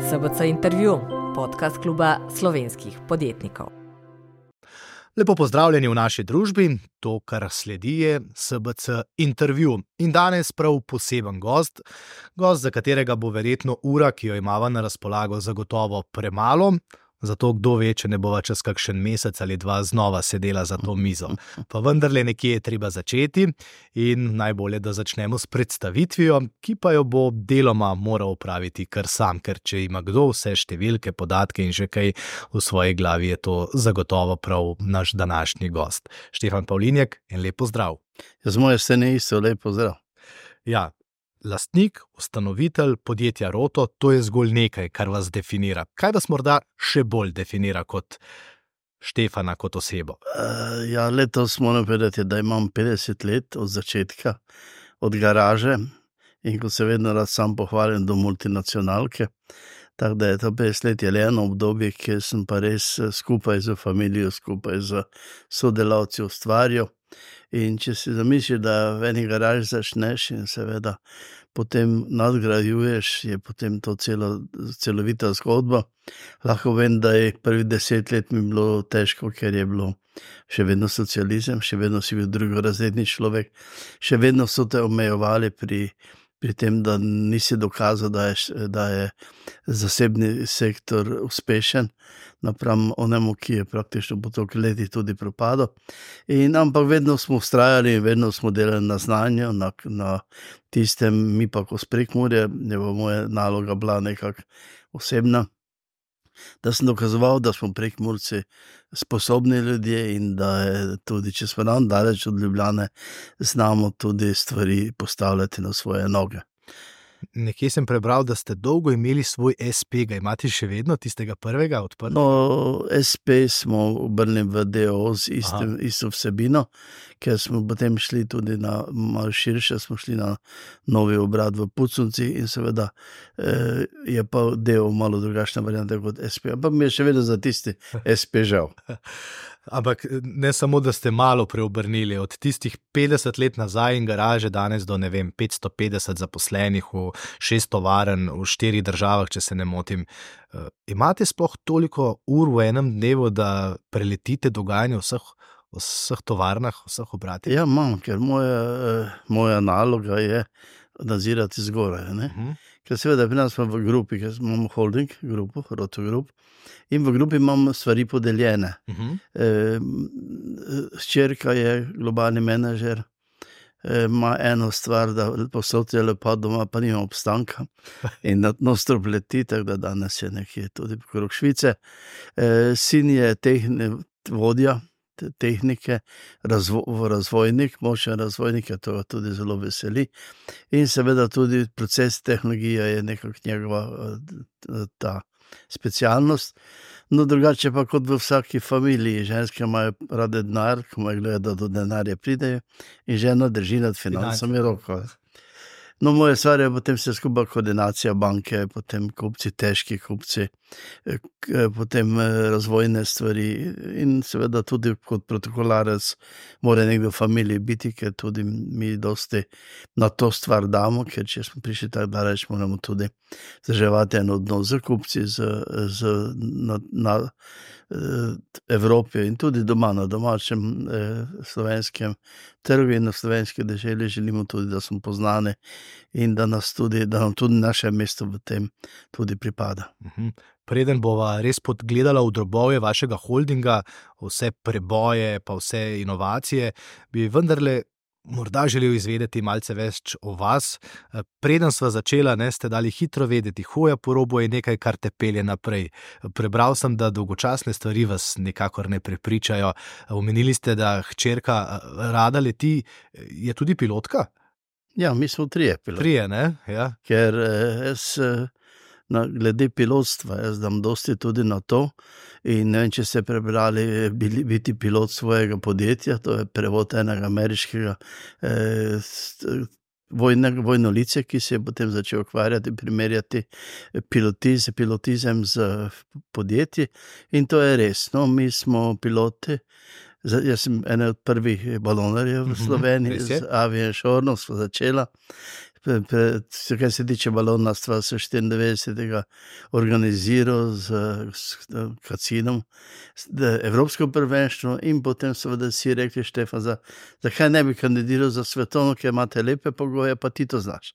SBC Intervju, podcast kluba slovenskih podjetnikov. Lepo pozdravljeni v naši družbi, to, kar sledi, je SBC Intervju. In danes prav poseben gost, za katerega bo verjetno ura, ki jo imava na razpolago, zagotovo premalo, zato kdo ve, če ne bova čez kakšen mesec ali dva znova sedela za to mizo. Pa vendarle nekje je treba začeti in najbolje, da začnemo s predstavitvijo, ki pa jo bo deloma moral opraviti kar sam, ker če ima kdo vse številke, podatke in že kaj v svoji glavi, je to zagotovo prav naš današnji gost. Štefan Pavlinjek, en lep pozdrav. Z moje strani isto lep pozdrav. Ja, lastnik, ustanovitelj podjetja Roto, to je zgolj nekaj, kar vas definira. Kaj vas morda še bolj definira kot Štefana, kot osebo? Letos moram povedati, da imam 50 let od začetka, od garaže, in ko se vedno rad sam pohvalim do multinacionalke, tako da je to 50 let je le eno obdobje, kjer sem pa res skupaj z familijo, skupaj z sodelavci ustvarjal. In če si zamisliš, da v eni garaži začneš in seveda potem nadgrajuješ, je potem to celovita zgodba. Lahko vem, da je prvih 10 let mi bilo težko, ker je bilo še vedno socializem, še vedno si bil drugorazredni človek, še vedno so te omejevali pri tem, da nisi dokazal, da je zasebni sektor uspešen, napram onemu, ki je praktično po toliko letih tudi propadel. Ampak vedno smo vztrajali in vedno smo delali na znanju, na tistem, mi pa ko s Prekmurja, je moja naloga bila nekako osebna, da sem dokazoval, da smo Prekmurci sposobni ljudje in da je tudi, če smo nam daleč od Ljubljane, znamo tudi stvari postavljati na svoje noge. Nekje sem prebral, da ste dolgo imeli svoj SP, ga imate še vedno, tistega prvega odprtega? No, SP smo obrnili v DO z isto vsebino, ker smo potem šli tudi na malo širše, smo šli na novi obrat v Puconci in seveda je pa DO malo drugačna varianta kot SP, ampak mi je še vedno za tisti SP žal. Ampak ne samo, da ste malo preobrnili, od tistih 50 let nazaj in garaže danes do, 550 zaposlenih v 6 tovarn v 4 državah, če se ne motim. Imate sploh toliko ur v enem dnevu, da preletite dogajanje v vseh tovarnah, vseh obratih? Ja, imam, ker moja naloga je nadzirati zgoraj, ne? Ker seveda pri nas smo v grupi, ker imamo holding grupo, Roto Group, in v grupi imamo stvari podeljene. Hčerka je globalni menedžer, ima eno stvar, da posod je lepo doma, pa nima obstanka in non-stop leti, tako da danes je nekje tudi pokrog Švice. Sin je vodja tehnike, razvojnik, močen razvojnik, to ga tudi zelo veseli. In seveda tudi proces tehnologija je nekako njegova ta specialnost. No, drugače pa kot v vsaki familiji, ženske imajo rade denar, ko imajo gledati, da do denarja pridejo, in žena drži nad financami roko. No, moja stvar je potem vse skupaj koordinacija banke, potem kupci, težki kupci, potem razvojne stvari in seveda tudi kot protokolarec mora nekdo v familiji biti, ker tudi mi dosti na to stvar damo, ker če smo prišli tako daleč, moramo tudi vzdrževati en odnos z kupci, na Evropi in tudi doma, na domačem slovenskem trgu in na slovenski deželi želimo tudi, da smo poznani in da nam tudi naše mesto v tem tudi pripada. Preden bova res podgledala v drobovje vašega holdinga, vse preboje pa vse inovacije, bi vendarle morda želel izvedeti malce več o vas. Preden sva začela, ste dali hitro vedeti, hoja po robu je nekaj, kar te pelje naprej. Prebral sem, da dolgočasne stvari vas nekakor ne prepričajo. Omenili ste, da hčerka rada leti, je tudi pilotka? Ja, mi smo 3 piloti. 3, ne? Ja. Ker glede pilotstva, jaz dam dosti tudi na to in ne vem, če ste prebrali biti pilot svojega podjetja, to je prevod enega ameriškega vojnolice, ki se je potem začel ukvarjati, primerjati pilotizem z podjetji in to je res. No, mi smo piloti, jaz sem ene od prvih balonarjev v Sloveniji, z Aviation smo začela. Kar se tiče balonarstva, se 94. organiziral s Kacinom evropsko prvenstvo in potem seveda si rekli, Štefan, zakaj ne bi kandidiral za svetovno, ker imate lepe pogoje, pa ti to znaš.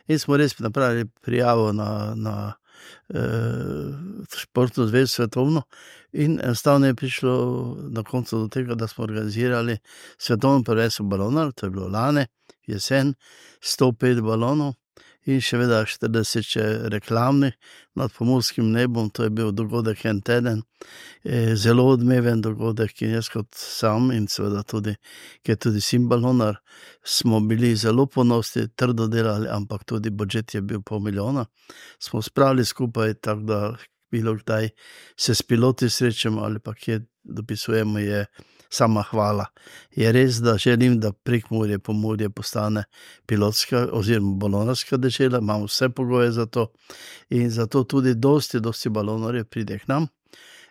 In smo res napravili prijavo na športno zvezo svetovno in enostavno je prišlo na koncu do tega, da smo organizirali svetovno prvenstvo balonar, to je bilo lani, jesen, 105 balonov in še vedno 40 reklamnih nad pomorskim nebom, to je bil dogodek en teden, zelo odmeven dogodek in jaz kot sam in seveda tudi, ker tudi sin balonar, smo bili zelo ponosni, trdo delali, ampak tudi budžet je bil $500,000, smo spravili skupaj, tako da bilo kdaj se s piloti srečamo ali pa kje dopisujemo, je sama hvala. Je res, da želim, da Prekmurje, Pomurje postane pilotska oziroma balonarska dežela, imamo vse pogoje za to in zato tudi dosti balonarjev pride k nam.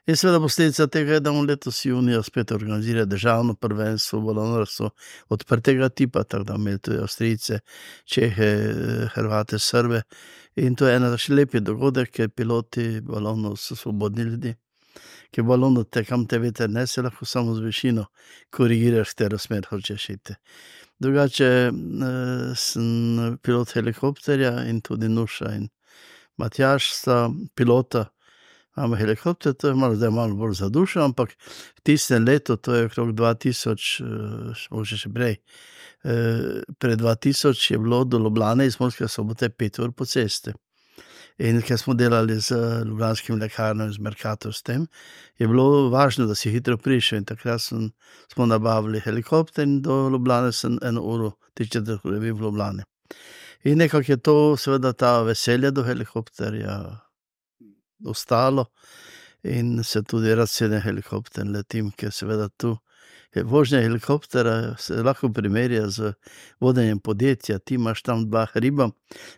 In seveda posledica tega je, da bomo letos junija spet organizirali državno prvenstvo balonarstvo odprtega tipa, tako da imeli tudi Avstrijce, Čehe, Hrvate, Srbe in to je ena še lepi dogodek, ker piloti balonov so svobodni ljudi. Ker balonu kam te veter nese, lahko samo z višino korigiraš, katero smer hočeš iti. Drugače sem pilot helikopterja in tudi Nuša in Matjaž sta pilota. Imamo helikopter, to je zdaj malo bolj za dušo, ampak tistem letu, to je okrog 2000, možda še prej, pred 2000 je bilo do Ljubljane iz Murske Sobote 5 ur po cesti. In ker smo delali z ljubljanskim lekarnom, z Mercator s tem, je bilo važno, da si hitro prišel in takrat smo nabavili helikopter in do Ljubljane sem 1 uro, 3/4 ure bil v Ljubljani. In nekako je to seveda ta veselje do helikopterja ostalo in se tudi rad sedem helikopter letim, ker seveda tu vožnja helikoptera se lahko primerja z vodenjem podjetja. Ti imaš tam 2 hriba,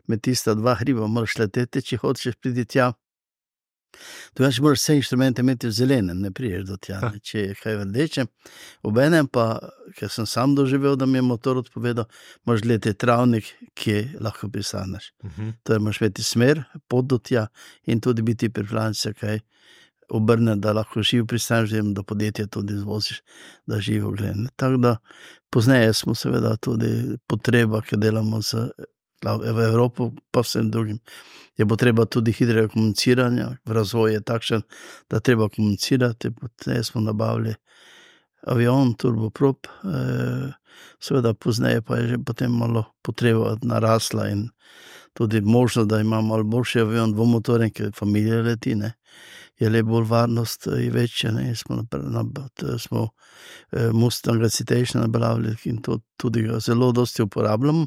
med tista 2 hriba moraš leteti, če hočeš priti tja. Drugače moraš vse inštrumente imeti v zelenem, ne priješ do tja, če je kaj v rdečem. Obenem pa, ker sem sam doživel, da mi je motor odpovedal, moraš gledati travnik, kje lahko pristaneš. Torej moraš imeti smer, pot do tja in tudi biti pripravljen se kaj obrne, da lahko živo pristaneš, da podjetje tudi izvoziš, da živo gledam. Tako da pozneje smo seveda tudi potreba, ker delamo v Evropo, pa vsem drugim, je potreba tudi hitrega komuniciranja, razvoj je takšen, da treba komunicirati, potem smo nabavili avion, turboprop, seveda pozneje pa je že potem malo potreba narasla in tudi možno, da imamo malo boljši avion, dvomotoren, ker familija leti, ne, je le bolj varnost je večja, ne, smo Mustanga Citation nabavili in to tudi ga zelo dosti uporabljamo.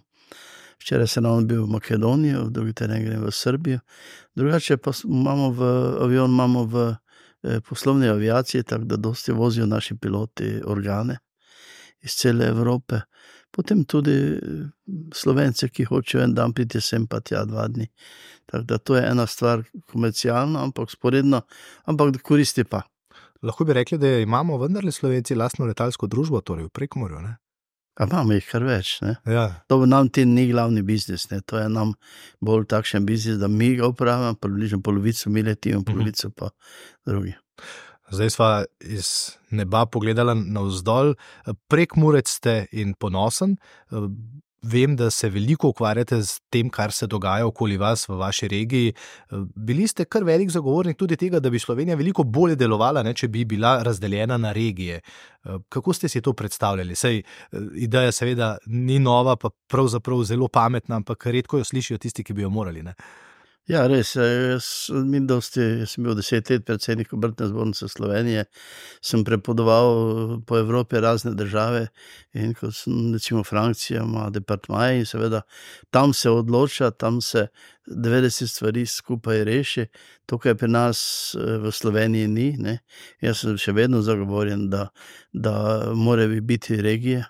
Včeraj se nam bil v Makedonijo, v drugi teden grem v Srbijo. Drugače pa imamo v poslovni aviaciji, tako da dosti vozijo naši piloti organe iz cele Evrope. Potem tudi Slovence, ki hočejo en dan priti sem pa tja 2 dni. Tako da to je ena stvar komercialna, ampak sporedno, ampak koristi pa. Lahko bi rekli, da imamo vendarle Slovenci lastno letalsko družbo, torej v Prekmurju, ne? A imamo jih kar več, ne? Ja. To nam ti ni glavni biznis, ne? To je nam bolj takšen biznis, da mi ga upravljamo, približno polovico mi letimo, polovico pa drugi. Zdaj sva iz neba pogledala navzdol. Prekmurec ste in ponosen. Vem, da se veliko ukvarjate z tem, kar se dogaja okoli vas v vaši regiji. Bili ste kar velik zagovornik tudi tega, da bi Slovenija veliko bolje delovala, ne, če bi bila razdeljena na regije. Kako ste si to predstavljali? Sej ideja seveda ni nova, pa pravzaprav zelo pametna, ampak redko jo slišijo tisti, ki bi jo morali, ne? Ja, res, jaz sem bil 10 let predsednik Obrtne zbornice Slovenije, sem prepodoval po Evropi razne države in kot sem, recimo Francija ima departmaje in seveda tam se odloča, tam se 90 stvari skupaj reši, to, kar pri nas v Sloveniji ni, ne. Jaz sem še vedno zagovorjen, da morajo biti regije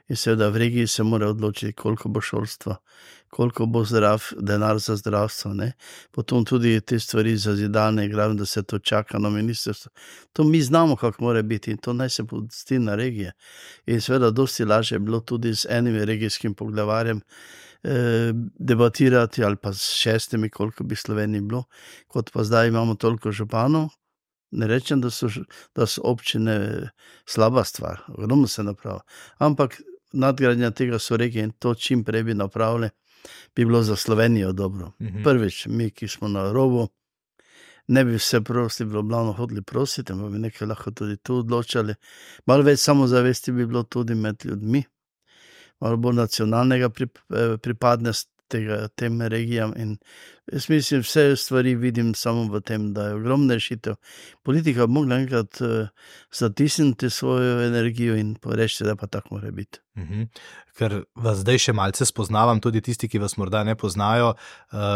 in seveda v regiji se mora odločiti, koliko bo šolstva, koliko bo denar za zdravstvo, ne. Potom tudi te stvari za zidane, glavno, da se to čaka na ministrstvo. To mi znamo, kako mora biti in to naj se pusti na regije. In seveda dosti lažje je bilo tudi z enim regijskim poglavarjem debatirati ali pa s 6, koliko bi Sloveniji bilo, kot pa zdaj imamo toliko županov. Ne rečem, da so občine slaba stvar, ogromno se napravi, ampak nadgradnja tega so regije in to čim prej bi napravili, bi bilo za Slovenijo dobro. Prvič, mi, ki smo na robu, ne bi vse prosili, v Ljubljano hodili prositi, ampak bi nekaj lahko tudi tu odločali. Malo več samozavesti bi bilo tudi med ljudmi, malo bolj nacionalnega pripadnost tem regijam in jaz mislim, vse stvari vidim samo v tem, da je ogromna rešitev. Politika bi mogla enkrat zatisniti svojo energijo in reči, da pa tako mora biti. Ker vas zdaj še malce spoznavam, tudi tisti, ki vas morda ne poznajo.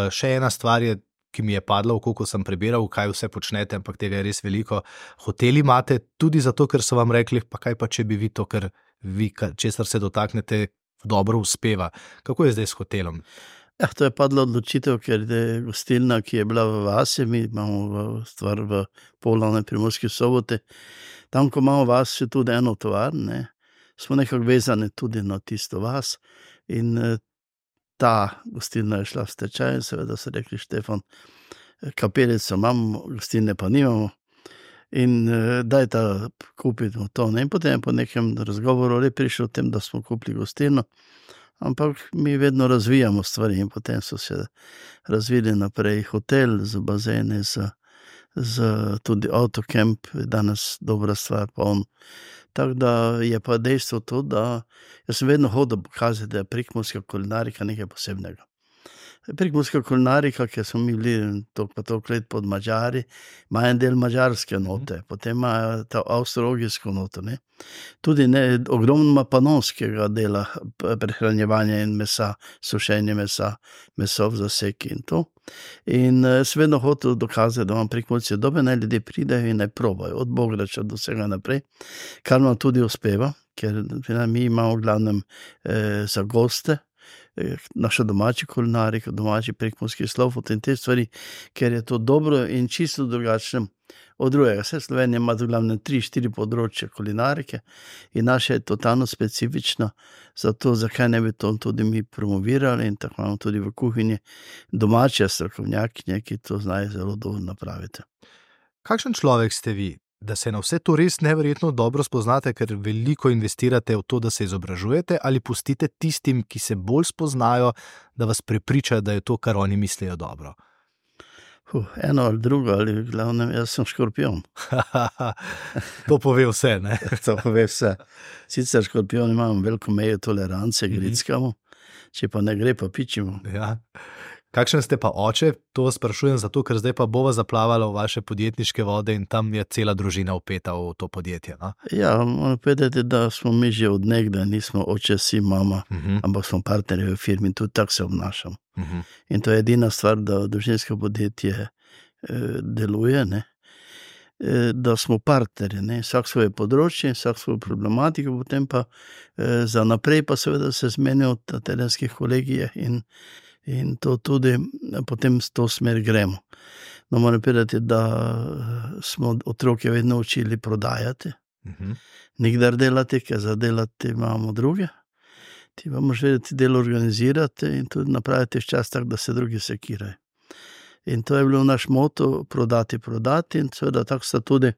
Še ena stvar je, ki mi je padla, koliko sem prebiral, kaj vse počnete, ampak tega je res veliko. Hoteli imate tudi zato, ker so vam rekli, pa kaj pa če bi vi to, ker vi, česar se dotaknete, dobro uspeva. Kako je zdaj s hotelom? Ja, to je padla odločitev, ker je gostilna, ki je bila v vasi, mi imamo stvar v Polane, Primorski Soboti. Tam, ko imamo vas, je tudi eno tovarn, smo nekako vezani tudi na tisto vas in ta gostilna je šla v stečaj in seveda so rekli, Štefan, kapelico imamo, gostilne pa nimamo in dajte kupiti to. In potem po nekem razgovoru je prišel o tem, da smo kupili gostilno, ampak mi vedno razvijamo stvari in potem so se razvili naprej hotel z bazene, z tudi autocamp, danes dobra stvar, poln. Tako da je pa dejstvo to, da jaz sem vedno hodil pokazati, da je prekmurska kulinarika nekaj posebnega. Prekmurska kulinarika, ki smo mi bili toliko let pod Mađari, ima en del mađarske note, potem ima ta avstro-ogrsko noto, Tudi ogromno panonskega dela prehranjevanja in mesa, sušenje mesa, meso v zaseki in to. In sem vedno hotel dokazati, da imam Prekmurci dobe, naj ljudje pridejo in naj probajo, od bograča do vsega naprej, kar nam tudi uspeva, ker mi imamo v glavnem za goste, naša domači kulinarika, domači prekmurski slofut in te stvari, ker je to dobro in čisto drugačno od drugega. Vse Slovenija ima v glavnem 3-4 področje kulinarike in naša je totalno specifična, zato zakaj ne bi to tudi mi promovirali in tako imamo tudi v kuhinji domače strokovnjakinje, ki to znajo zelo dobro napraviti. Kakšen človek ste vi, da se na vse to res neverjetno dobro spoznate, ker veliko investirate v to, da se izobražujete, ali pustite tistim, ki se bolj spoznajo, da vas prepričajo, da je to, kar oni mislijo, dobro? Eno ali drugo, ali v glavnem, jaz sem škorpion. To pove vse, ne? To pove vse. Sicer škorpion imam veliko mejo tolerance, grickamo, če pa ne gre, pa pičimo. Ja. Kakšen ste pa oče? To vas sprašujem zato, ker zdaj pa bova zaplavala v vaše podjetniške vode in tam je cela družina vpeta v to podjetje. No? Ja, moram povedati, da smo mi že od nekdaj, nismo oče, si, mama, ampak smo partnerji v firmi in tudi tako se obnašamo. In to je edina stvar, da družinsko podjetje deluje, da smo partnerji, vsak svoje področje, vsak svojo problematiko, potem pa za naprej pa seveda se zmenijo na terenskih kolegijah in to tudi potem s to smer gremo. No, moram povedati, da smo otroke vedno učili prodajati, nikdar delati, ker za delati imamo druge. Ti pa moraš vedeti delo organizirati in tudi napraviti čas tak, da se drugi sekirajo. In to je bilo naš moto, prodati in seveda tako sta tudi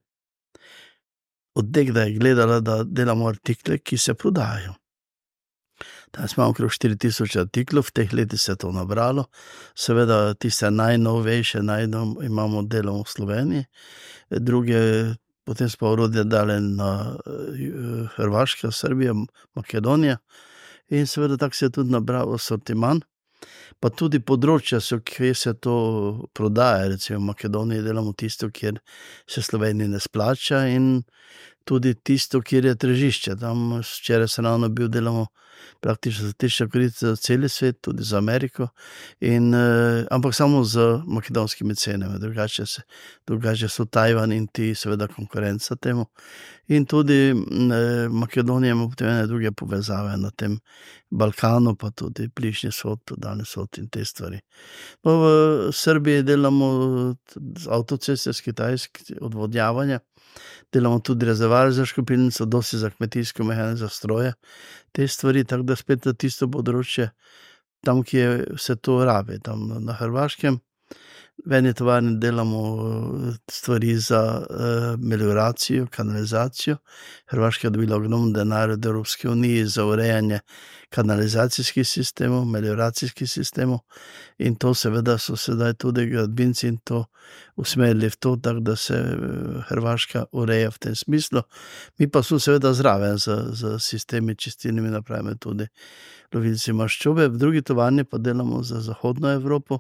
od nekdaj gledala, da delamo artikle, ki se prodajajo. Danes imamo okrog 4000 artiklov, v teh letih se je to nabralo. Seveda tiste najnovejše imamo delom v Sloveniji, druge potem smo orodje dali na Hrvaška, Srbija, Makedonija in seveda tako se je tudi nabral asortiman. Pa tudi področja so, kjer se to prodaja, recimo v Makedoniji delamo tisto, kjer se Sloveniji ne splača in tudi tisto, kjer je tržišče. Tam včeraj se ravno bil, delamo praktično za tišče korice za celi svet, tudi za Ameriko, ampak samo z makedonskimi cenami, drugače so Tajvan in ti seveda konkurenca temu. In tudi Makedonija ima potem ene druge povezave na tem Balkanu, pa tudi Bližnji vzhod, Daljni vzhod in te stvari. No, v Srbiji delamo avtoceste s Kitajske, odvodnjavanja, delamo tudi rezervoar za škropilnico, dosti za kmetijsko mehanično stroje, te stvari, tako da spet tisto področje tam, kjer se to rabi, tam na Hrvaškem. V eni tovarni delamo stvari za melioracijo, kanalizacijo. Hrvaška je dobila ogromno denarja od Evropske unije za urejanje kanalizacijskih sistemov, melioracijskih sistemov, in to seveda so sedaj tudi gradbinci in to usmerili v to, tako da se Hrvaška ureja v tem smislu. Mi pa smo seveda zraven z sistemi čistilnimi napravami, tudi lovilci maščobe. V drugi tovarni pa delamo za zahodno Evropo,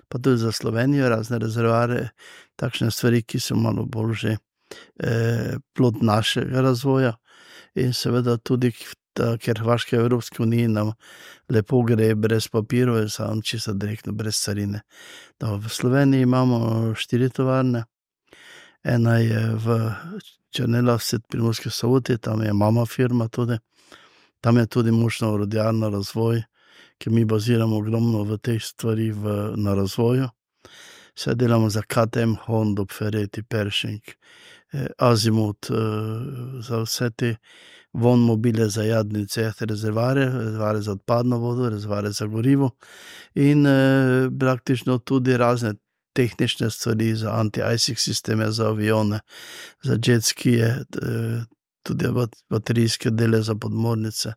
pa tudi za Slovenijo, razne rezervoarje, takšne stvari, ki so malo bolj že plod našega razvoja. In seveda tudi, ker Hrvaška v Evropski uniji nam lepo gre brez papirov, je samo čisto direktno, brez carine. V Sloveniji imamo 4 tovarne. Ena je v Črnelavci, Primorski Soboti, tam je mama firma tudi. Tam je tudi močno orodjarno razvoj, ker mi baziramo ogromno v teh stvari na razvoju. Vse delamo za KTM, Hondo, Ferretti, Pershing, Azimut, za vse te mobile za jadnice, rezervoarje za odpadno vodo, rezervoarje za gorivo in praktično tudi razne tehnične stvari za anti-icing sisteme, za avione, za jetskije, tudi baterijske dele za podmornice.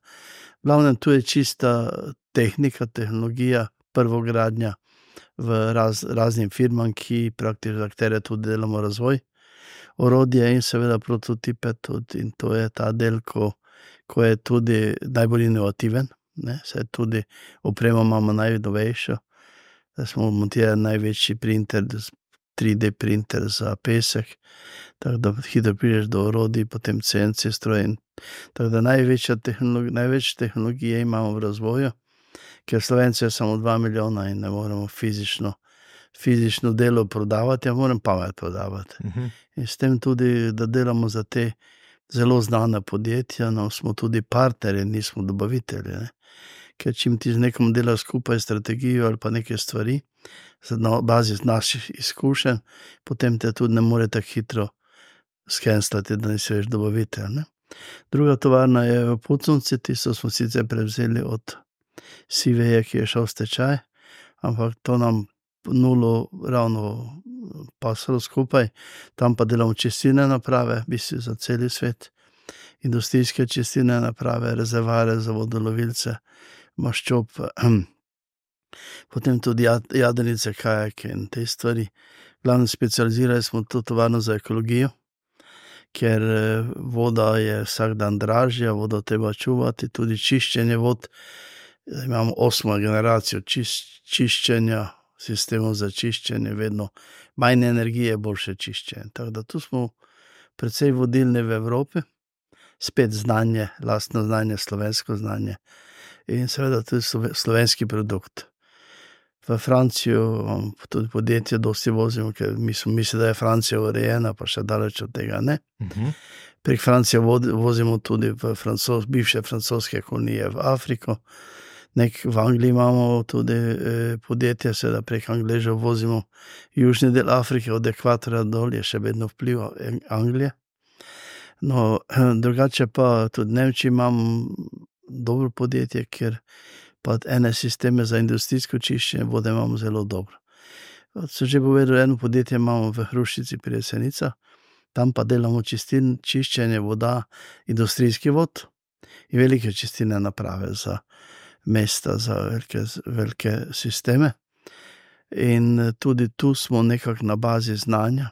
Glavnem, tu je čista tehnika, tehnologija, prvogradnja v raznim firmam, ki praktično za katere tudi delamo razvoj, orodje in seveda prototipe tudi, in to je ta del, ko je tudi najbolj inovativen, ne, saj tudi opremo imamo najnovejšo, da smo montirali največji printer, 3D printer za pesek, tako da hitro prideš do orodij, potem CNC stroj. Tako da največ tehnologije imamo v razvoju, ker Slovenci je samo 2 milijona in ne moremo fizično delo prodavati, moram pamet prodavati. In s tem tudi, da delamo za te zelo znane podjetja, no, smo tudi partnerji, nismo dobavitelji, ne. Ker čim ti z nekom delaš skupaj strategijo ali pa neke stvari, na bazi naših izkušenj, potem te tudi ne more tako hitro skenslati, da nisi več dobavitelj, ne. Druga tovarna je v Puconci, tisto smo sicer prevzeli od Siveje, ki je šel v stečaj, ampak to nam nulo ravno pasalo skupaj. Tam pa delamo čistilne naprave, v bistvu za celi svet, industrijske čistilne naprave, rezervoarje za vodolovilce, maščob, potem tudi jadrnice, kajake in te stvari. Glavno specializirali smo to tovarno za ekologijo, ker voda je vsak dan dražja, vodo treba čuvati, tudi čiščenje vod. Imamo 8. generacijo čiščenja, sistemov za čiščenje, vedno manj energije, boljše čiščenje. Tako da tu smo precej vodilni v Evropi, spet znanje, lastno znanje, slovensko znanje in seveda tudi slovenski produkt. V Francijo imamo tudi podjetje, dosti vozimo, ker mislim, da je Francija urejena, pa še daleč od tega ne. Prek Francije vozimo tudi v bivše francoske kolonije v Afriko. V Angliji imamo tudi podjetje, seveda prek Angležev vozimo južni del Afrike, od ekvatorja dol je še vedno vpliv Anglije. No, drugače pa tudi Nemčiji imamo dobro podjetje, ker pa ene sisteme za industrijsko čiščenje vode imamo zelo dobro. Sem že povedal, eno podjetje imamo v Hrušici pri Jesenicah, tam pa delamo čiščenje voda, industrijski vod in velike čistilne naprave za mesta, za velike sisteme. In tudi tu smo nekako na bazi znanja.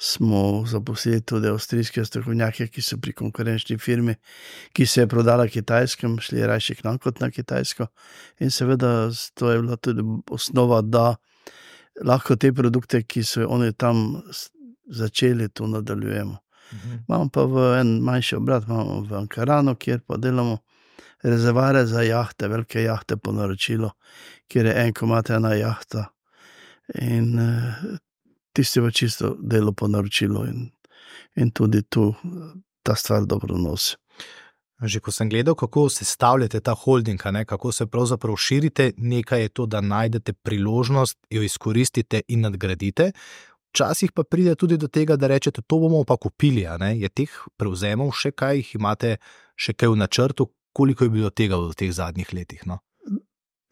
Smo zaposlili tudi avstrijske strokovnjake, ki so pri konkurenčni firmi, ki se je prodala Kitajskem, šli rajši k nam kot na Kitajsko. In seveda to je bila tudi osnova, da lahko te produkte, ki so oni tam začeli, tu nadaljujemo. Imamo pa en manjši obrat, imamo v Ankaranu, kjer pa delamo rezervoarje za jahte, velike jahte po naročilo, kjer je en komad ena jahta in tisti v čisto delo po naročilo in tudi tu ta stvar dobro nosi. Že ko sem gledal, kako sestavljate ta holding, kako se pravzaprav širite, nekaj je to, da najdete priložnost, jo izkoristite in nadgradite. Včasih pa pride tudi do tega, da rečete, to bomo pa kupili. Je teh prevzemov še kaj, jih imate še kaj v načrtu, koliko je bilo tega v teh zadnjih letih? No?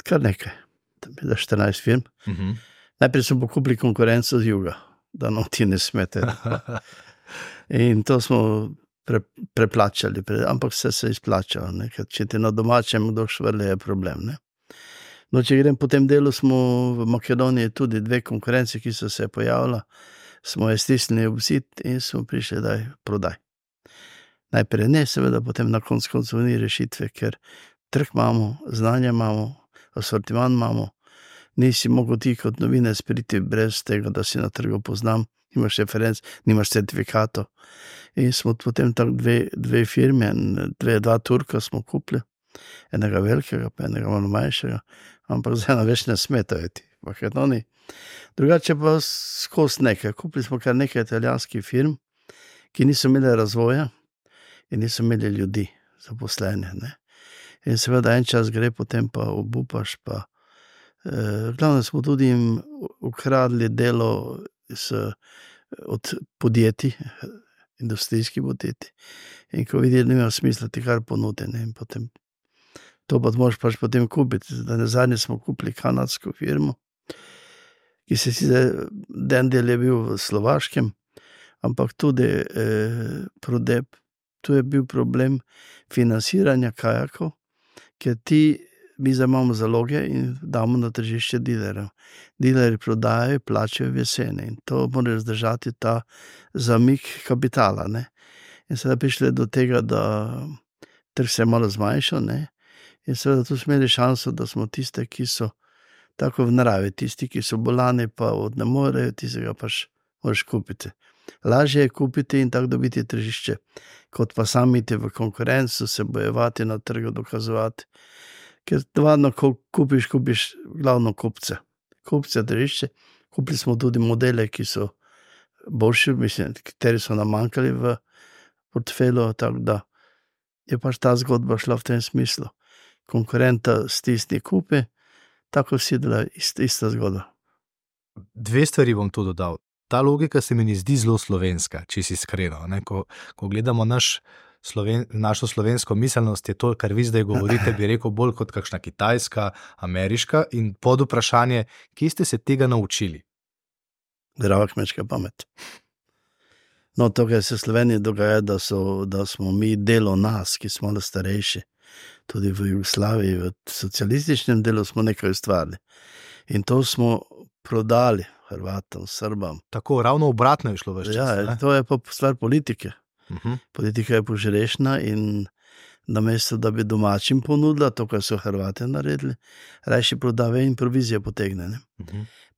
Kar nekaj, da 14 firm. Najprej smo pokupili konkurenco z juga, da nam ti ne smete. In to smo preplačali, ampak vse se izplačalo. Če ti na domačem kdo švrle, je problem. Ne? No, če grem po tem delu, smo v Makedoniji tudi 2 konkurenci, ki so se pojavila, smo je stisnili v zid in smo prišli, daj, prodaj. Najprej ne, seveda, potem na koncu ni rešitve, ker trg imamo, znanje imamo, asortiman imamo, nisi mogel ti kot novinec priti brez tega, da si na trgu poznam, nimaš referenc, nimaš certifikatov. In smo potem tako dve firme, 2 Turka smo kupili, enega velikega, pa enega malo manjšega, ampak zdaj več ne smetajo ti, Makedoniji. Drugače pa skozi nekaj. Kupili smo kar nekaj italijanskih firm, ki niso imeli razvoja in niso imeli ljudi zaposlene. Ne? In seveda en čas gre, potem pa obupaš, pa glavno smo tudi jim ukradli delo od podjetij, industrijskih podjetij. In ko vidijo, nima smisla ti kar ponuditi, in potem to pa moraš pač potem kupiti. Zadnje smo kupili kanadsko firmo, ki se den del je bil v Slovaškem, ampak tudi Prodep. Tu je bil problem financiranja kajakov, ker mi zdaj imamo zaloge in damo na tržišče dilerjev. Dilerji prodajajo, plačajo v jeseni in to mora zdržati ta zamik kapitala. Ne? In sedaj prišli do tega, da trg se je malo zmanjšal, ne? In seveda tu smo imeli šanso, da smo tiste, ki so tako v naravi, tisti, ki so bolani, pa ne morejo, tistega pač moraš kupiti. Lažje je kupiti in tako dobiti tržišče, kot pa sami iti v konkurenco, se bojevati na trgu, dokazovati. Ker navadno, ko kupiš glavno kupce. Kupce, tržišče. Kupili smo tudi modele, ki so boljši, mislim, kateri so nam manjkali v portfelju, tako da je pač ta zgodba šla v tem smislu. Konkurenta stisni kupi, tako vsi delajo ista zgodba. 2 stvari bom tu dodal. Ta logika se mi ne zdi zelo slovenska, če si iskreno. Ko gledamo našo slovensko miselnost, je to, kar vi zdaj govorite, bi rekel bolj kot kakšna kitajska, ameriška, in pod vprašanje, kje ste se tega naučili? Zdrava kmečka pamet. No, to, kar se v Sloveniji dogaja, da smo mi delo nas, ki smo starejši, tudi v Jugoslaviji, v socialističnem delu smo nekaj ustvarili. In to smo prodali Hrvatom, Srbam. Tako, ravno obratno je šlo več čas. Ja, to je pa stvar politike. Politika je požrešna in namesto, da bi domačim ponudila to, kar so Hrvate naredili, rajši prodave in provizije potegne.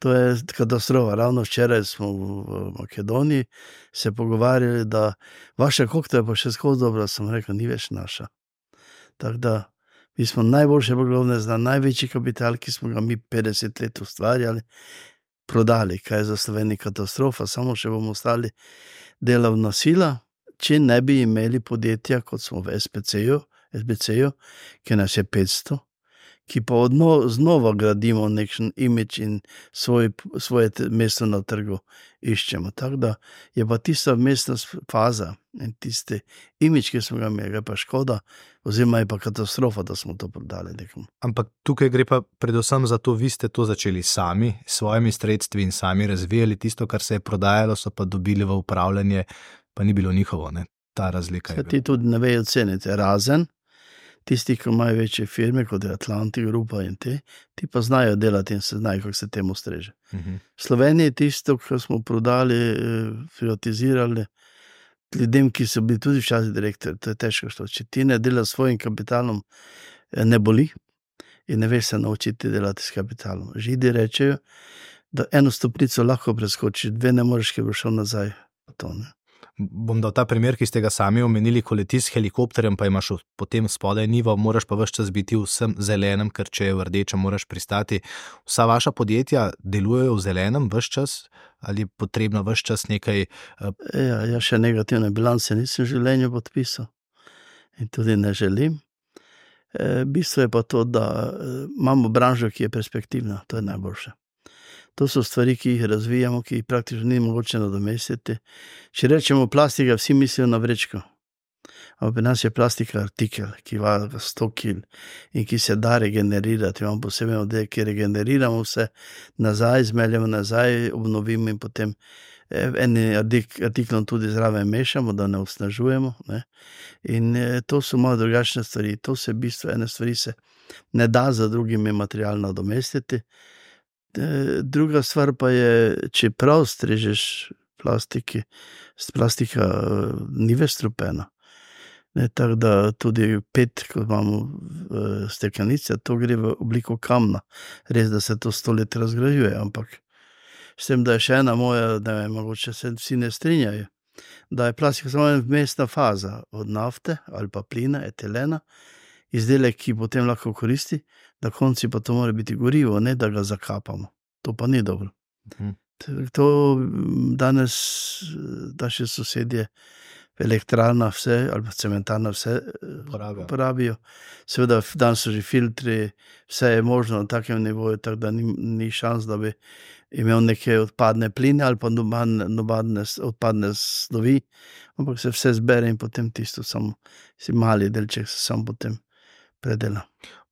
To je katastrofa. Ravno včeraj smo v Makedoniji se pogovarjali, da vaša kokta je pa še skozi dobra, sem rekel, ni več naša. Tako da mi smo najboljše poglavne za največji kapital, ki smo ga mi 50 let ustvarjali, prodali, kaj je za Sloveniji katastrofa, samo še bomo ostali delovna sila, če ne bi imeli podjetja, kot smo v SBC-ju, ki nas je 500, ki pa znova gradimo nekšen imidž in svoje mesto na trgu iščemo. Tako da je pa tista mestna faza in tisti imidž, ki smo ga imeli, pa škoda, oziroma je pa katastrofa, da smo to prodali nekomu. Ampak tukaj gre pa predvsem za to, vi ste to začeli sami, s svojimi sredstvi in sami razvijali tisto, kar se je prodajalo, so pa dobili v upravljanje, pa ni bilo njihovo, ne? Ta razlika je. Ti tudi ne vejo ceniti, razen tisti, ki imajo večje firme, kot je Atlantic Grupa in ti pa znajo delati in se znajo, kako se temu streže. V Sloveniji tisto, kar smo prodali, privatizirali, ljudem, ki so bili tudi včasih direktorji, to je težko što. Če ti ne delaš s svojim kapitalom, ne boli in ne veš se naučiti delati s kapitalom. Židi rečejo, da 1 stopnico lahko preskočiš, 2 ne moreš, ker bo šel nazaj. To, ne? Bom dal ta primer, ki ste ga sami omenili, ko letiš s helikopterjem, pa imaš potem spodaj nivo, moraš pa ves čas biti vsem zelenem, ker če je v rdečem, moraš pristati. Vsa vaša podjetja delujejo v zelenem ves čas ali je potrebno ves čas nekaj? Ja, še negativne bilance nisem v življenju podpisal in tudi ne želim. Bistvo je pa to, da imamo branžo, ki je perspektivna, to je najboljše. To so stvari, ki jih razvijamo, ki jih praktično ni mogoče nadomestiti. Če rečemo plastika, vsi mislijo na vrečko. Ampak pri nas je plastika artikel, ki vaga 100 kg in ki se da regenerirati. Imamo posebej oddelek, ki regeneriramo vse nazaj, zmeljemo nazaj, obnovimo in potem eni artiklom tudi zraven mešamo, da ne osnažujemo. Ne? In to so malo drugačne stvari. To se v bistvu ene stvari se ne da za drugimi materialno nadomestiti. Druga stvar pa je, če prav strežeš plastika ni več strupena. Tako da tudi PET, ko imamo steklenice, to gre v obliko kamna. Res, da se to 100 let razgrajuje, ampak s tem, da je še ena moja, ne vem, mogoče se vsi ne strinjajo, da je plastika samo ena vmesna faza od nafte ali pa plina, etilena, izdelek, ki potem lahko koristi, na konci pa to mora biti gorivo, ne da ga zakapamo. To pa ni dobro. To danes naši sosedje elektrarna vse, ali pa cementarna vse porabijo. Seveda danes so že filtri, vse je možno na takem nivoju, tako da ni šans, da bi imel neke odpadne pline ali pa nobadne odpadne snovi, ampak se vse zbere in potem tisto samo, si mali delček se sam potem predela.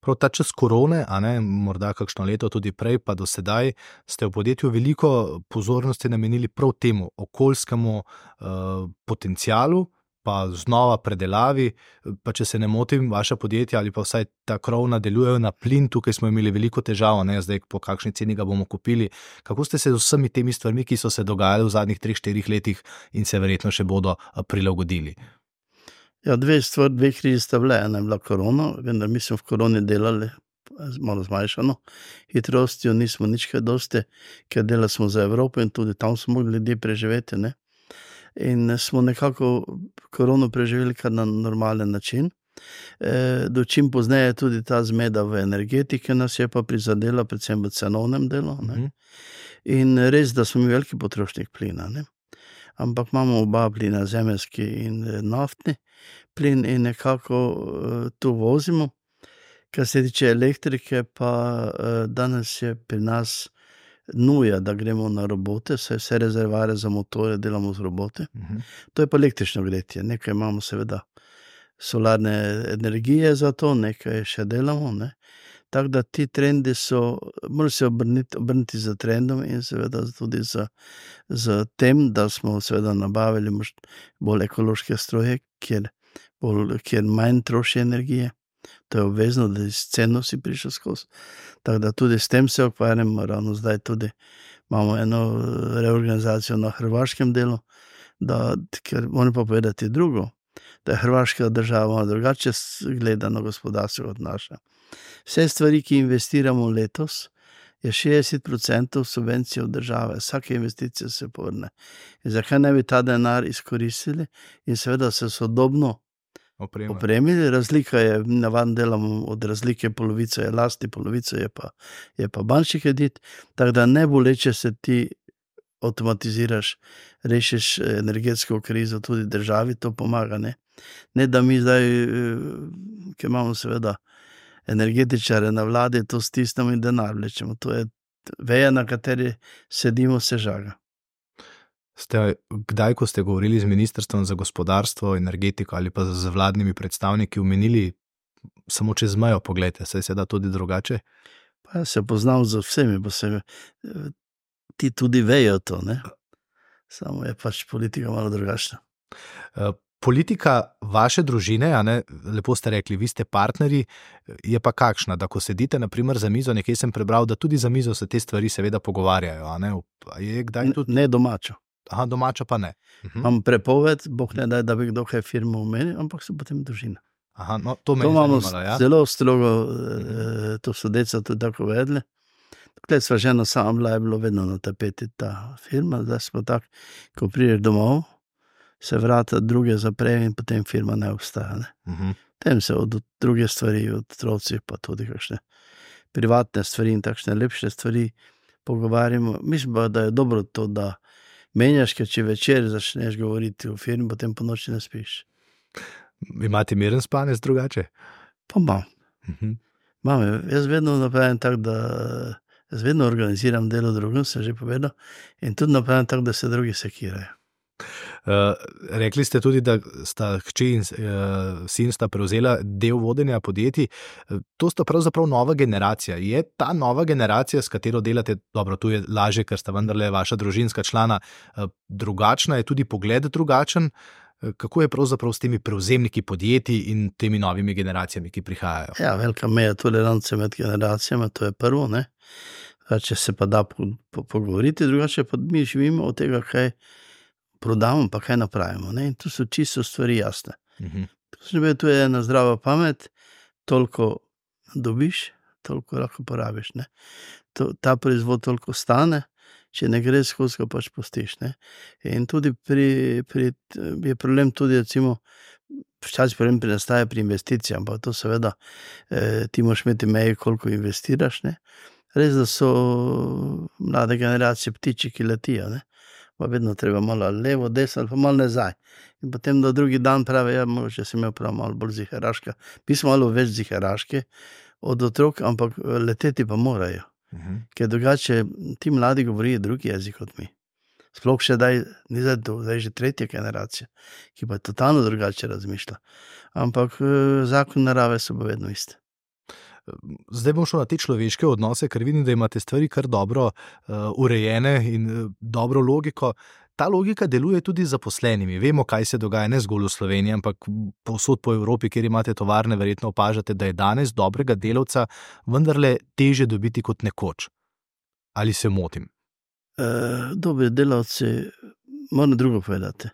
Prav ta čas korone, a ne, morda kakšno leto tudi prej, pa do sedaj, ste v podjetju veliko pozornosti namenili prav temu okoljskemu potencialu, pa znova predelavi, pa če se ne motim, vaša podjetja ali pa vsaj ta krovna delujejo na plin, tukaj smo imeli veliko težav, ne, zdaj po kakšni ceni ga bomo kupili. Kako ste se z vsemi temi stvarmi, ki so se dogajali v zadnjih 3-4 letih in se verjetno še bodo prilagodili? Ja, dve krizi sta bile, ena je bila korona, vendar mi smo v koroni delali malo zmanjšano hitrostjo, nismo nič kaj dosti, ker delali smo za Evropo in tudi tam smo mogli ljudje preživeti, ne. In smo nekako korono preživeli kar na normalen način. Dočim pozneje tudi ta zmeda v energetiki nas je pa prizadela, predvsem v cenovnem delu, ne. In res, da smo mi veliki potrošnik plina, ne. Ampak imamo oba plina, zemeljski in naftni plin in nekako to vozimo. Kar se tiče elektrike, pa danes je pri nas nuja, da gremo na robote, vse rezervoarje za motore delamo z robote. To je pa električno gretje, nekaj imamo seveda solarne energije za to, nekaj še delamo, ne. Tako da ti trendi so, mora se obrniti za trendom in seveda tudi za tem, da smo seveda nabavili bolj ekološke stroje, kjer manj troši energije. To je obvezno, da iz ceno si prišel skozi. Tako da tudi s tem se ukvarjamo, ravno zdaj tudi imamo eno reorganizacijo na hrvaškem delu, ker moram pa povedati drugo, da je hrvaška država drugače gleda na gospodarstvo od naša. Vse stvari, ki investiramo letos, je 60% subvencije od države. Vsake investicije se povrne. In zakaj ne bi ta denar izkoristili in seveda se sodobno opremili? Razlika je, navadno delamo od razlike, polovico je lasti, polovico je pa bančni kredit, tako da ne boleče se ti avtomatiziraš, rešiš energetsko krizo tudi državi, to pomaga, ne. Ne, da mi zdaj, ki imamo seveda energetičare na vladi, to stisnemo in denar vlečemo. To je veja, na kateri sedimo, se žaga. Ste kdaj, ko ste govorili z Ministrstvom za gospodarstvo, energetiko ali pa z vladnimi predstavniki, omenili samo čez mejo, poglejte, saj se da tudi drugače? Pa se poznam z vsemi, pa se ti tudi vejo to, ne? Samo je pač politika malo drugačna. Politika vaše družine, a ne, lepo ste rekli, vi ste partnerji, je pa kakšna, da ko sedite na primer za mizo, nekaj sem prebral, da tudi za mizo se te stvari seveda pogovarjajo, a ne? Je kdaj tudi... Ne domačo. Aha, domačo pa ne. Imam prepoved, Bog ne daj, da bi kdo kaj firmo omenil, ampak so potem družina. Aha, no, to me je zanimalo, ja. Zelo strogo, to so deca tudi tako vedle. Tukaj sva žena sama bila, je bilo vedno na tapeti ta firma, zdaj smo tak, ko prideš domov, se vrata druge zaprejo in potem firma ne obstaja. Ne? Tem se od druge stvari, od otroci pa tudi kakšne privatne stvari in takšne lepše stvari pogovarjamo. Mislim pa, da je dobro to, da menjaš, ker če večer začneš govoriti o firmi, potem po noči ne spiš. Imate miren spanec drugače? Pa imam. Imam, jaz vedno napravim tako, da jaz vedno organiziram delo drugim, sem že povedal, in tudi napravim tako, da se drugi sekirajo. Rekli ste tudi, da sta hči in sin sta prevzela del vodenja podjetij. To sta pravzaprav nova generacija. Je ta nova generacija, s katero delate, dobro, tu je lažje, ker sta vendarle vaša družinska člana, drugačna, je tudi pogled drugačen? Kako je pravzaprav s temi prevzemniki podjetij in temi novimi generacijami, ki prihajajo? Ja, velika meja tolerance med generacijami, to je prvo, ne. Če se pa da pogovoriti, drugače pa mi živimo od tega, kaj prodamo, pa kaj napravimo, ne. In tu so čisto stvari jasne. Tu je ena zdrava pamet, toliko dobiš, toliko lahko porabiš, ne. Ta proizvod toliko stane, če ne gre skozi, ga pač pustiš, ne. In tudi je problem tudi, recimo, včasih problem nastaja pri investicijah, ampak to seveda ti moraš imeti meje, koliko investiraš, ne. Res, da so mlade generacije ptiči, ki letijo, ne. Pa vedno treba malo levo, desno ali pa malo nazaj. In potem do drugi dan pravi, ja, mogoče si imel prav malo bolj ziheraška. Mi smo malo več ziheraški od otrok, ampak leteti pa morajo. Ker drugače ti mladi govorijo drugi jezik od mi. Sploh še ni zdaj že tretja generacija, ki pa totalno drugače razmišlja. Ampak zakon narave so pa vedno iste. Zdaj bom šel na te človeške odnose, ker vidim, da imate stvari kar dobro urejene in dobro logiko. Ta logika deluje tudi z zaposlenimi. Vemo, kaj se dogaja ne zgolj v Sloveniji, ampak povsod po Evropi, kjer imate tovarne, verjetno opažate, da je danes dobrega delavca vendarle težje dobiti kot nekoč. Ali se motim? Dobri delavci, moram drugo povedati.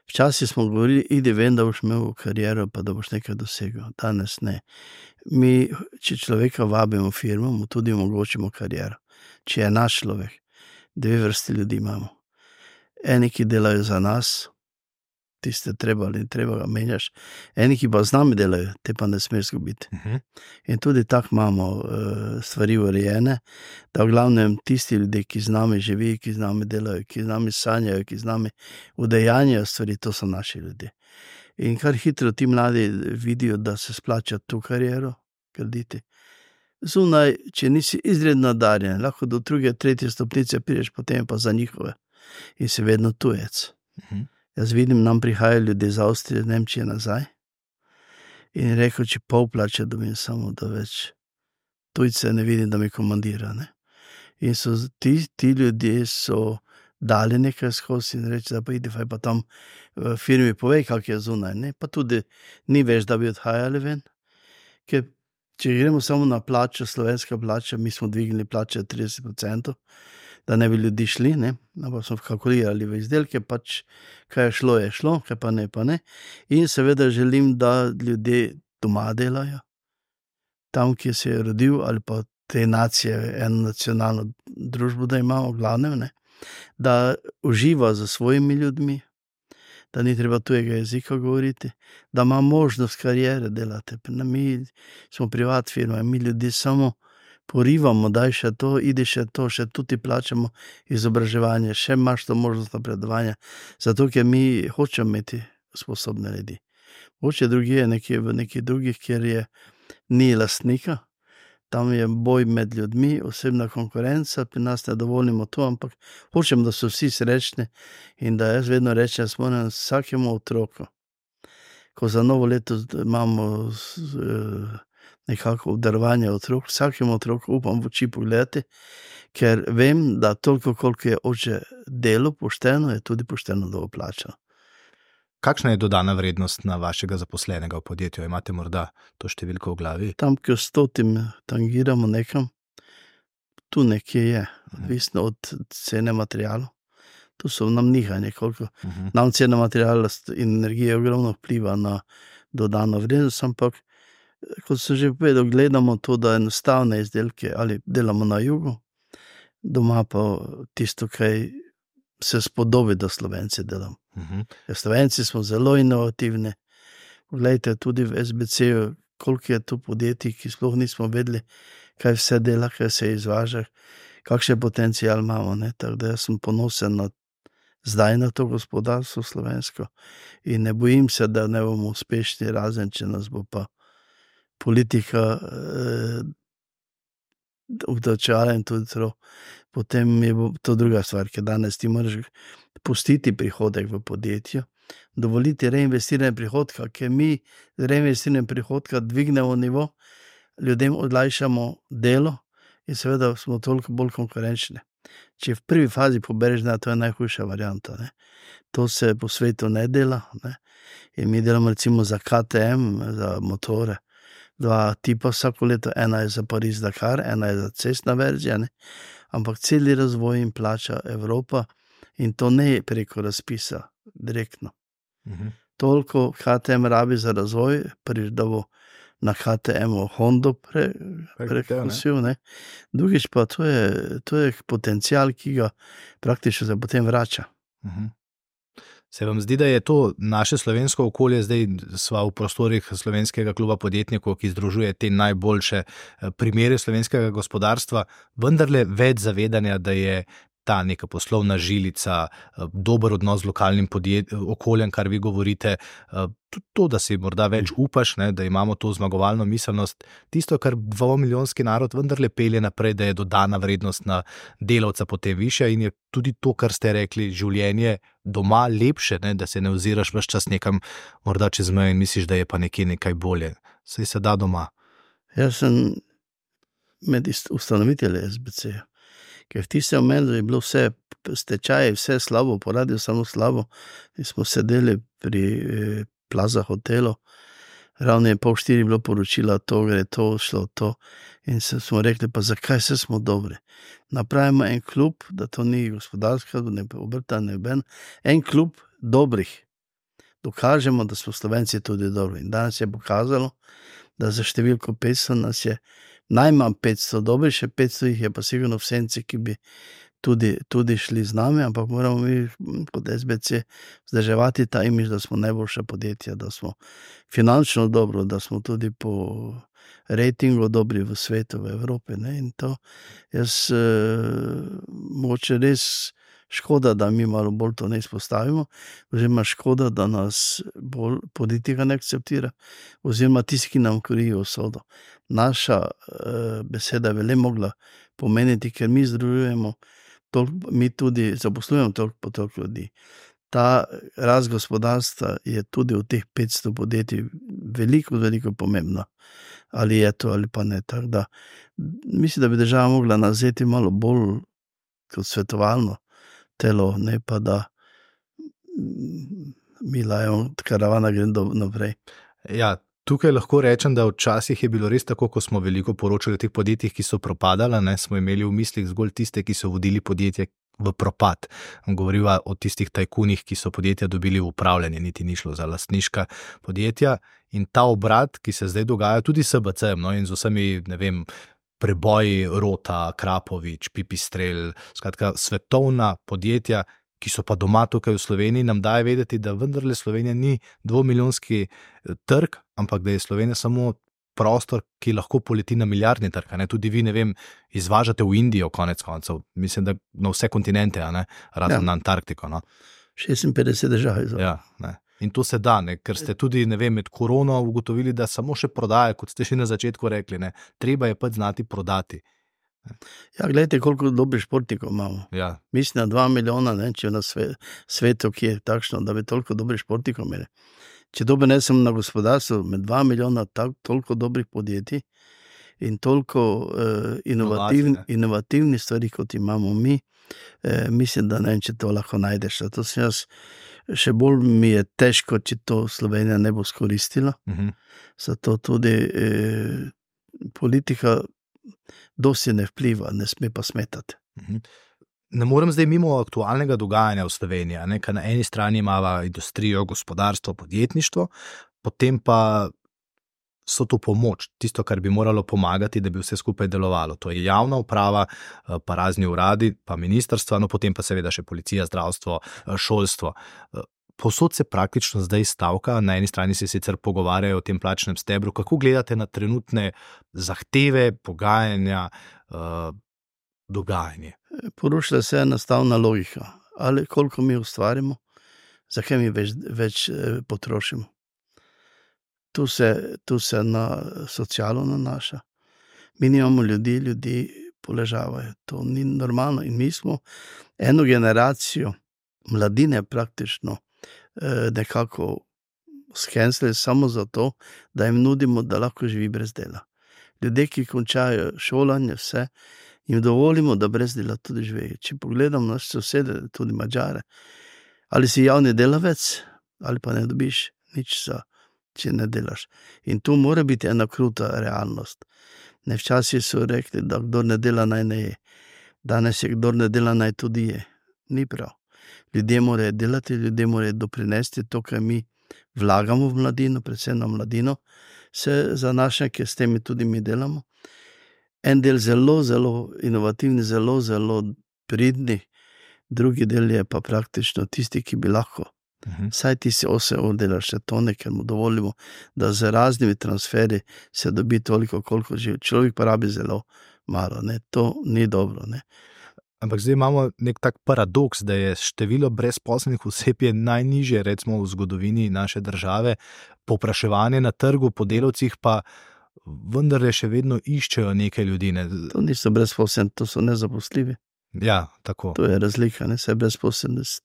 Včasih smo govorili, idi ven, da boš imel kariero, pa da boš nekaj dosegel. Danes ne. Mi, če človeka vabimo v firmo, mu tudi omogočimo kariero. Če je naš človek, 2 vrsti ljudi imamo. Eni, ki delajo za nas, tiste treba ali treba ga menjaš. Eni, ki pa z nami delajo, te pa ne smeš izgubiti. In tudi tako imamo stvari urejene, da v glavnem tisti ljudje, ki z nami živi, ki z nami delajo, ki z nami sanjajo, ki z nami udejanjajo stvari, to so naši ljudje. In kar hitro ti mladi vidijo, da se splača tu kariero graditi. Zunaj, če nisi izredno nadarjen, lahko do 2., 3. stopnice prideš, potem pa za njihove. In si vedno tujec. Jaz vidim, nam prihajajo ljudje iz Avstrije, Nemčije nazaj in rekel, če pol plače dobim, samo da več tujce ne vidim, da mi komandira, ne. In so ti ljudje so dali nekaj skozi in reči, da pa idi, pa tam v firmi povej, kak je zunaj, ne. Pa tudi ni več, da bi odhajali ven, ker če gremo samo na plačo, slovenska plača, mi smo dvignili plače 30%, da ne bi ljudi šli, ne, ampak smo kalkulirali v izdelke, pač kaj je šlo, kaj pa ne, pa ne. In seveda želim, da ljudje doma delajo, tam, kjer se je rodil, ali pa te nacije, eno nacionalno družbo, da imamo v glavnem, ne, da uživa za svojimi ljudmi, da ni treba tujega jezika govoriti, da ima možnost karijere delati. Mi smo privat firma, mi ljudi samo porivamo, daj še to, idi še to, še tudi plačamo izobraževanje, še imaš to možnost napredovanja, zato ker mi hočemo imeti sposobne ljudi. Hoče drugi je v nekih drugih, kjer ni lastnika, tam je boj med ljudmi, osebna konkurenca, pri nas ne dovolimo to, ampak hočem, da so vsi srečni in da jaz vedno rečem, da smo vsakemu otroku, ko za novo leto imamo nekako obdarovanje otrok, vsakemu otroku upam v oči pogledati, ker vem, da toliko, koliko je oče delo pošteno, je tudi pošteno dobro plačano. Kakšna je dodana vrednost na vašega zaposlenega v podjetju? Imate morda to številko v glavi? Tam, ko 100 tangiramo nekam, tu nekje je, odvisno od cene materialov. Tu so nam nihanje, koliko. Nam cena materijala in energije ogromno vpliva na dodano vrednost, ampak kot sem že povedal, gledamo to, da enostavne izdelke ali delamo na jugu, doma pa tisto, kaj se spodobi, da Slovenci delamo. Slovenci smo zelo inovativni. Poglejte, tudi v SBC-ju, koliko je tu podjetij, ki sploh nismo vedeli, kaj vse dela, kaj se izvaža, kakšen potencial imamo, ne. Tako da jaz sem ponosen zdaj na to gospodarstvo slovensko in ne bojim se, da ne bomo uspešni, razen če nas bo pa politika obdavčevala in tudi to, potem je to druga stvar, ker danes ti moraš pustiti prihodek v podjetju, dovoliti reinvestiranje prihodka, ker mi z reinvestiranjem prihodka dvignemo nivo, ljudem olajšamo delo in seveda smo toliko bolj konkurenčni. Če v prvi fazi pobereš, da to je najhujša varianta, ne. To se po svetu ne dela, ne. In mi delamo recimo za KTM, za motore, 2 tipa vsako leto, ena je za Pariz-Dakar, ena je za cestna verzija, ne. Ampak celi razvoj jim plača Evropa in to ne preko razpisa, direktno. Toliko KTM rabi za razvoj, prvič, da bo na KTM-u Hondo prekusil, ne. Drugič pa to je potencial, ki ga praktično se potem vrača. Se vam zdi, da je to naše slovensko okolje, zdaj sva v prostorih Slovenskega kluba podjetnikov, ki združuje te najboljše primere slovenskega gospodarstva, vendarle več zavedanja, da je ta neka poslovna žilica, dober odnos z lokalnim okoljem, kar vi govorite, to, da si morda več upaš, ne, da imamo to zmagovalno miselnost, tisto, kar 2-milijonski narod vendarle pelje naprej, da je dodana vrednost na delavca potem višja in je tudi to, kar ste rekli, življenje doma lepše, ne, da se ne oziraš ves čas nekam morda čez mejo in misliš, da je pa nekaj bolje. Saj se da doma. Jaz sem med ustanovitelji SBC-ja. Ker v tistem momentu je bilo vse stečaje, vse slabo, poradil samo slabo. In smo sedeli pri Plaza hotelu, ravno je 3:30 bilo poročila, to gre, to šlo, to. In smo rekli, pa zakaj vse smo dobri? Napravimo en klub, da to ni gospodarska, ne obrta, ne ben, en klub dobrih. Dokažemo, da smo Slovenci tudi dobri. In danes je pokazalo, da za številko 500 nas je najmanj 500 dobri, še 500 jih je pa sigurno v senci, ki bi tudi šli z nami, ampak moramo mi kot SBC vzdrževati ta imiž, da smo najboljša podjetja, da smo finančno dobro, da smo tudi po rejtingu dobri v svetu, v Evropi, ne, in to jaz mogoče res škoda, da mi malo bolj to ne izpostavimo, oziroma škoda, da nas bolj politika ne akceptira, oziroma tisti, ki nam krijo usodo. Naša beseda je le mogla pomeniti, ker mi združujemo, mi tudi zaposlujemo toliko ljudi. Ta rast gospodarstva je tudi v teh 500 podjetij veliko pomembna. Ali je to ali pa ne. Tako da mislim, da bi država mogla nazeti malo bolj kot svetovalno telo, ne pa da mi lajemo, karavana gre naprej. Ja, tukaj lahko rečem, da včasih je bilo res tako, ko smo veliko poročali o teh podjetjih, ki so propadala, ne, smo imeli v mislih zgolj tiste, ki so vodili podjetje v propad. Govoriva o tistih tajkunih, ki so podjetja dobili v upravljanje, niti ni šlo za lastniška podjetja. In ta obrat, ki se zdaj dogaja tudi s SBC-jem, no, in z vsemi, ne vem, preboji Rota, Krapovič, Pipistrel, skratka svetovna podjetja, ki so pa doma tukaj v Sloveniji, nam daje vedeti, da vendarle Slovenija ni 2-milijonski trg, ampak da je Slovenija samo prostor, ki lahko poleti na milijardni trg. Ne? Tudi vi, ne vem, izvažate v Indijo konec koncev, mislim, da na vse kontinente, ne? Razen na Antarktiko. No? 56 držav. Ja, ne. In to se da, ne? Ker ste tudi, ne vem, med korono ugotovili, da samo še prodaje, kot ste še na začetku rekli, ne? Treba je pač znati prodati. Ja, gledajte, koliko dobrih športnikov imamo. Ja. Mislim, na 2 milijona, ne, če na svetu, ki je takšno, da bi toliko dobrih športnikov imeli. Če dobe ne sem na gospodarstvu, med 2 milijona toliko dobrih podjetij in toliko inovativnih stvari, kot imamo mi, mislim, da ne vem, če to lahko najdeš. To sem jaz, še bolj mi je težko, če to Slovenija ne bo skoristila. Zato tudi politika dosti ne vpliva, ne sme pa smetati. Ne morem zdaj mimo aktualnega dogajanja v Sloveniji, ne, ker na eni strani imava industrijo, gospodarstvo, podjetništvo, potem pa so to pomoč, tisto, kar bi moralo pomagati, da bi vse skupaj delovalo. To je javna uprava, pa razni uradi, pa ministrstva, no potem pa seveda še policija, zdravstvo, šolstvo. Povsod se praktično zdaj stavka, na eni strani se sicer pogovarjajo o tem plačnem stebru. Kako gledate na trenutne zahteve, pogajanja, dogajanje? Porušila se enostavna logika. Ali koliko mi ustvarimo, zakaj mi več potrošimo. Tu se na socialo nanaša. Mi nimamo ljudi poležavajo. To ni normalno. In mi smo eno generacijo mladine praktično nekako skenslili samo zato, da jim nudimo, da lahko živi brez dela. Ljudje, ki končajo šolanje, vse, jim dovolimo, da brez dela tudi živijo. Če pogledam naše sosede, tudi Madžare, ali si javni delavec, ali pa ne dobiš nič če ne delaš. In tu mora biti ena kruta realnost. Včasih so rekli, da kdor ne dela, naj ne je. Danes je, kdor ne dela, naj tudi je. Ni prav. Ljudje morajo delati, ljudje morajo doprinesti to, kar mi vlagamo v mladino, predvsem na mladino, se zanaša, s temi tudi mi delamo. En del zelo, zelo inovativni, zelo, zelo pridni, drugi del je pa praktično tisti, ki bi lahko. Saj ti si 8 ur delaš še tone, ker mu dovolimo, da z raznimi transferi se dobi toliko, koliko živi. Človek pa rabi zelo malo, ne? To ni dobro. Ne? Ampak zdaj imamo nek tak paradoks, da je število brezposelnih oseb je najnižje, recimo v zgodovini naše države, povpraševanje na trgu po delavcih pa vendar še vedno iščejo nekaj ljudi. Ne? To niso brezposelni, to so nezaposljivi. Ja, tako. To je razlika, ne? Saj brezposelnost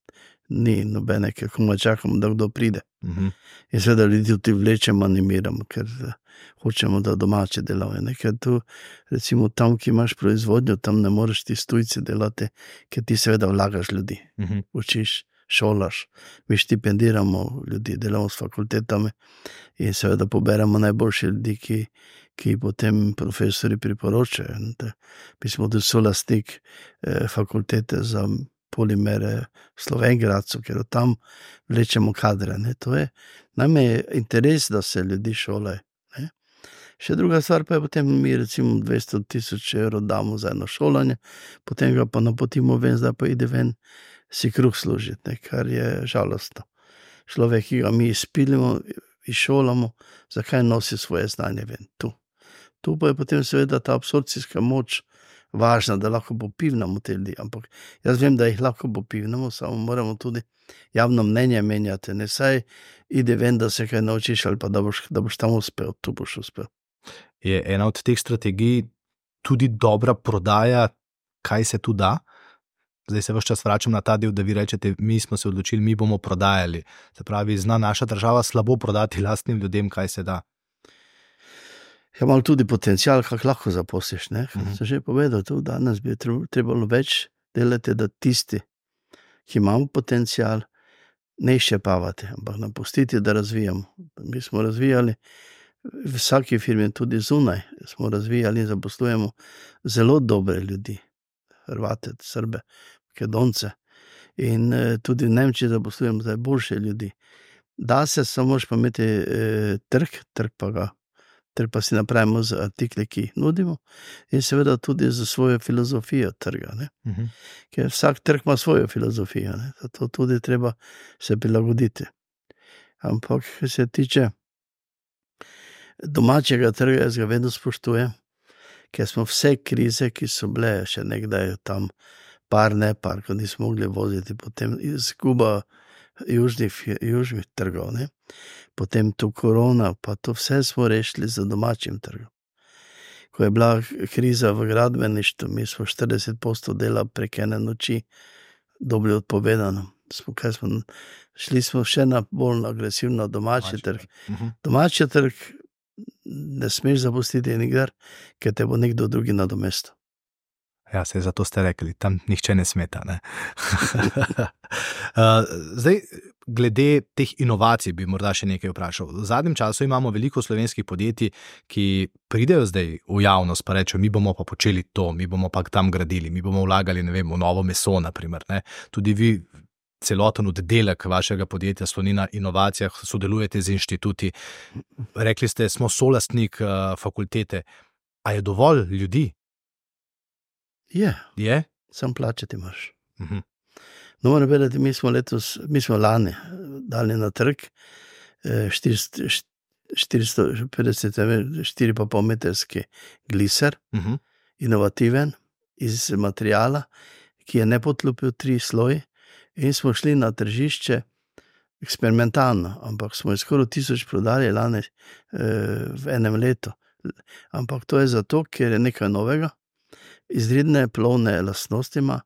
ni nobene, kako čakamo, da kdo pride. In seveda ljudi tudi vlečemo, animiramo, ker hočemo, da domače delajo. Ker tu, recimo tam, ki imaš proizvodnjo, tam ne moreš ti tujci delati, ker ti seveda vlagaš ljudi. Učiš, šolaš, mi štipendiramo ljudi, delamo s fakultetami in seveda poberemo najboljše ljudi, ki potem profesori priporočajo. Mi smo tudi solastnik fakultete za polimere v Slovengradcu, ker tam vlečemo kadre. Ne? To je, nam je interes, da se ljudi šolajo. Ne? Še druga stvar pa je potem, mi recimo 200,000 evrov damo za eno šolanje, potem ga pa napotimo ven, zdaj pa ide ven si kruh služiti, ne? Kar je žalostno. Človek, ki ga mi izpilimo, izšolamo, zakaj nosi svoje znanje ven? Tu pa je potem seveda ta absorpcijska moč važna, da lahko popivnamo te ljudi, ampak jaz vem, da jih lahko popivnamo, samo moramo tudi javno mnenje menjati, ne saj ide ven, da se kaj naučiš ali pa da boš tam uspel, tu boš uspel. Je ena od teh strategij tudi dobra prodaja, kaj se tu da? Zdaj se ves čas vračam na ta del, da vi rečete, mi smo se odločili, mi bomo prodajali. Se pravi, zna naša država slabo prodati lastnim ljudem, kaj se da? Ja, malo tudi potencial, kako lahko zaposliš, ne? Sem že povedal, tu danes bi trebalo več delati, da tisti, ki imamo potencial, ne izčrpavati, ampak napustiti, da razvijamo. Mi smo razvijali v vsaki firmi, tudi zunaj, smo razvijali in zaposlujemo zelo dobre ljudi, Hrvate, Srbe, Makedonce in tudi v Nemčiji zaposlujemo zdaj boljše ljudi. Da se samo moraš pa imeti trg pa si napravimo z artikli, ki jih nudimo in seveda tudi za svojo filozofijo trga. Ne? Ker vsak trg ima svojo filozofijo, ne? Zato tudi treba se prilagoditi. Ampak, kar se tiče domačega trga, jaz ga vedno spoštujem, ker smo vse krize, ki so bile še nekdaj tam par, ko nismo mogli voziti, potem izguba južnih trgov, ne? Potem tu korona, pa to vse smo rešili za domačim trgom. Ko je bila kriza v gradbeništvu, mi smo 40% dela prek ene noči dobili odpovedano. Šli smo še na bolj agresivno domači trg. Domači trg ne smeš zapustiti nikdar, ker te bo nekdo drugi nadomestil. Ja, se zato ste rekli, tam nihče ne smeta. Ne? Zdaj, glede teh inovacij bi morda še nekaj vprašal. V zadnjem času imamo veliko slovenskih podjetij, ki pridejo zdaj v javnost pa rečejo, mi bomo pa počeli to, mi bomo pa tam gradili, mi bomo vlagali, ne vem, v novo meso, naprimer. Ne? Tudi vi celoten oddelek vašega podjetja sloni na inovacijah, sodelujete z inštituti. Rekli ste, smo solastnik fakultete. A je dovolj ljudi? Je? Sam plačati imaš. No, moram vedeti, mi smo lani dali na trg 4,5 metrski gliser, inovativen, iz materijala, ki je ne potlupil 3 sloji in smo šli na tržišče eksperimentalno, ampak smo skoraj 1000 prodali lani v enem letu. Ampak to je zato, ker je nekaj novega, izredne plovne lastnosti ima,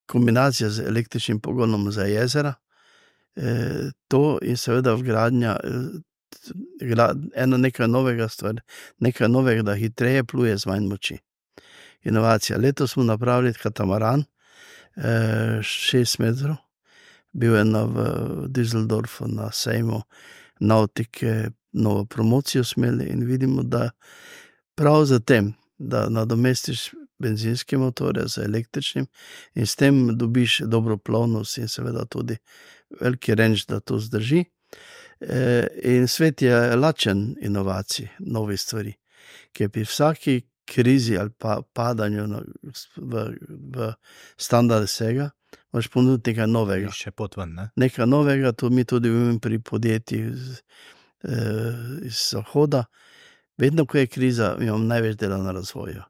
kombinacija z električnim pogonom za jezera, to in seveda vgradnja nekaj novega, da hitreje pluje z manj moči. Inovacija. Letos smo napravili katamaran, 6 metrov, bil je v Düsseldorfu na sejmu nautike, novo promocijo smeli in vidimo, da prav za tem, da nadomestiš benzinske motore z električnim in s tem dobiš dobro plovnost in seveda tudi veliki range, da to zdrži. In svet je lačen inovacij, novih stvari, ki je pri vsaki krizi ali pa padanju v standard vsega, moraš ponuditi nekaj novega. Še potven, ne? Nekaj novega, to mi tudi vemo pri podjetjih iz Zahoda. Vedno, ko je kriza, imam največ dela na razvoju.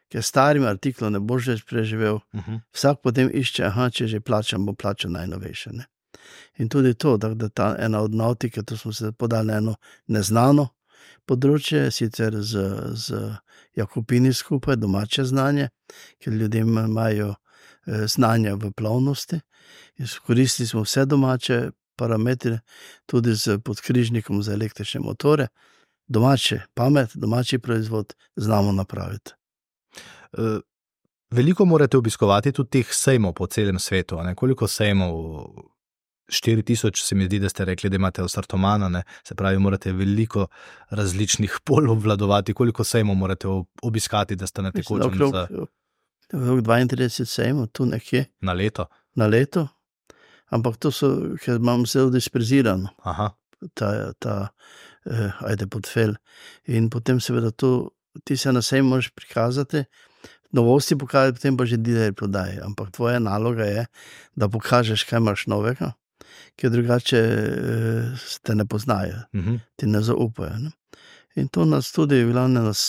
Ker starim artiklom ne boš več preživel, vsak potem išče, če že plačam, bo plačal najnovejše. Ne? In tudi to, da ta ena od nautike, to smo se podali eno neznano področje, sicer z Jakopini skupaj, domače znanje, ker ljudje imajo znanja v plovnosti. Koristili smo vse domače parametre, tudi z podkrižnikom za električne motore. Domače pamet, domači proizvod znamo napraviti. Veliko morate obiskovati tudi teh sejmov po celem svetu. Ne? Koliko sejmov? 4000 se mi zdi, da ste rekli, da imate Osartomana, ne? Se pravi, morate veliko različnih pol obvladovati. Koliko sejmov morate obiskati, da ste na tekočem? Okrog 32 sejmov, tu nekje. Na leto? Na leto, ampak to so, ker imam zelo disperzirano. Aha. Ajde portfelj. In potem seveda ti se na sejmu možeš prikazati, novosti pokazati, potem pa že dealer prodaje. Ampak tvoja naloga je, da pokažeš, kaj imaš novega, ker drugače te ne poznajo, ti ne zaupajo. Ne? In to nas tudi,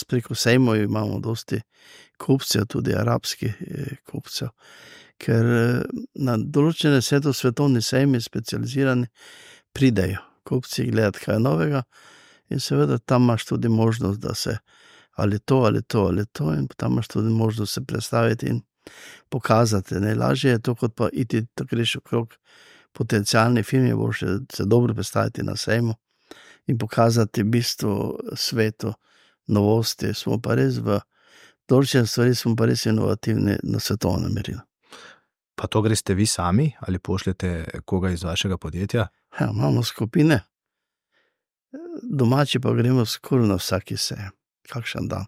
preko sejmov imamo dosti kupcev, tudi arabskih kupcev, ker na določene svetovni sejmi specializirani pridejo kupci gledati kaj novega in seveda tam imaš tudi možnost, da se ali to, in tam imaš tudi možnost se predstaviti in pokazati. Najlažje je to, kot pa iti, da greš okrog potencialni firmi, boš se dobro predstaviti na sejmu in pokazati v bistvu svetu novosti. Smo pa res v določene stvari, smo pa res inovativni na svetovnem merilu. Pa to greste vi sami ali pošljete koga iz vašega podjetja? Ja, imamo skupine. Domači pa gremo skoraj na vsaki sejem. Kakšen dan.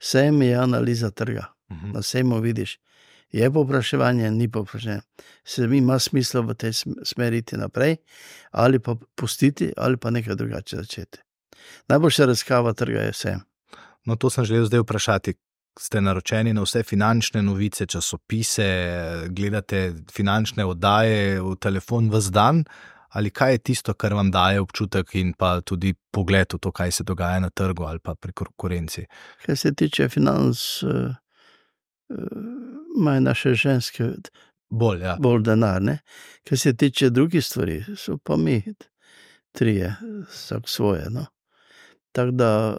Sejem je analiza trga. Na sejmu vidiš, je povpraševanje, ni povpraševanje. Se mi ima smisla v tej smeri iti naprej, ali pa pustiti, ali pa nekaj drugače začeti. Najboljša raziskava trga je sejem. No, to sem želel zdaj vprašati. Ste naročeni na vse finančne novice, časopise, gledate finančne oddaje v telefon ves dan, ali kaj je tisto, kar vam daje občutek in pa tudi pogled v to, kaj se dogaja na trgu ali pa pri konkurenci? Kaj se tiče financ, imajo naše ženske bolj denar, ne? Kaj se tiče drugih stvari, so pa mi trije, vsak svoje, no. Tako da,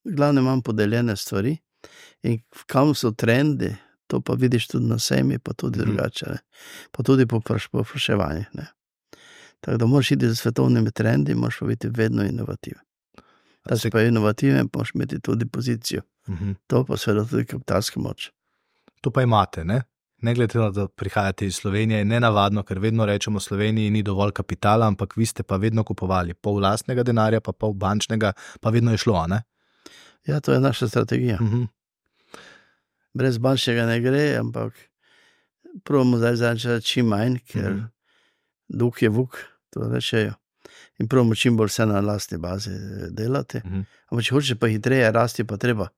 glavno imam podeljene stvari in kam so trendi, to pa vidiš tudi na sejmi, pa tudi drugače, ne? Pa tudi po povpraševanjih, ne. Tako da moraš iti za svetovnimi trendi, moraš pa biti vedno inovativen. Da si pa inovativen, moraš imeti tudi pozicijo. To pa seveda tudi kapitalska moč. To pa imate, ne? Ne glede na to, da prihajate iz Slovenije, je nenavadno, ker vedno rečemo, v Sloveniji ni dovolj kapitala, ampak vi ste pa vedno kupovali pol lastnega denarja, pa pol bančnega, pa vedno je šlo, ne? Ja, to je naša strategija. Brez bančnega ne gre, ampak probamo zdaj čim manj, ker dug je vuk, to rečejo. In probamo čim bolj vse na lastni bazi delati. Ampak če hočeš pa hitreje rasti, pa treba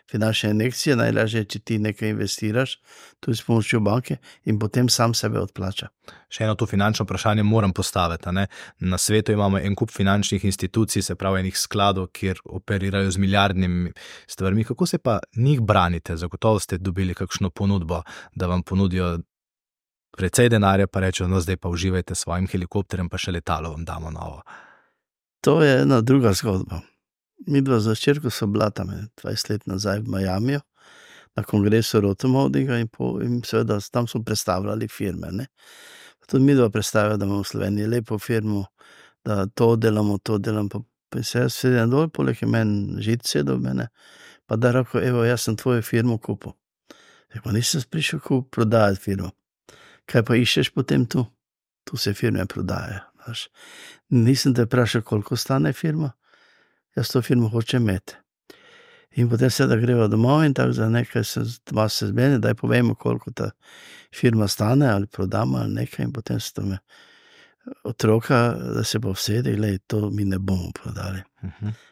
finančne injekcije, najlažje, če ti nekaj investiraš, tudi s pomočjo banke in potem sam sebe odplača. Še eno to finančno vprašanje moram postaviti, ne? Na svetu imamo en kup finančnih institucij, se pravi enih skladov, kjer operirajo z milijardnimi stvarmi. Kako se pa njih branite? Zagotovo ste dobili kakšno ponudbo, da vam ponudijo precej denarja, pa rečejo, no zdaj pa uživajte s svojim helikopterjem, pa še letalo vam damo novo. To je ena druga zgodba. Midva za hčerko so bila tam 20 let nazaj v Miamiju, na kongresu Rotomovdinga in seveda tam so predstavljali firme. Ne. Tudi mi dva predstavljajo, da imamo v Sloveniji lepo firmo, da to delam, pa se jaz sedim dol, poleg je meni Žid sedel mene, pa da rekel, evo, jaz sem tvojo firmo kupil. Pa nisem prišel prodajati firmo. Kaj pa iščeš potem tu? Tu se firme prodajajo. Nisem te vprašal, koliko stane firma, jaz to firmo hočem imeti. In potem se da greva domov in tako za nekaj se zmeni, daj povemo, koliko ta firma stane ali prodamo ali nekaj in potem se to me otroka, da se pa vsedi, glej, to mi ne bomo prodali.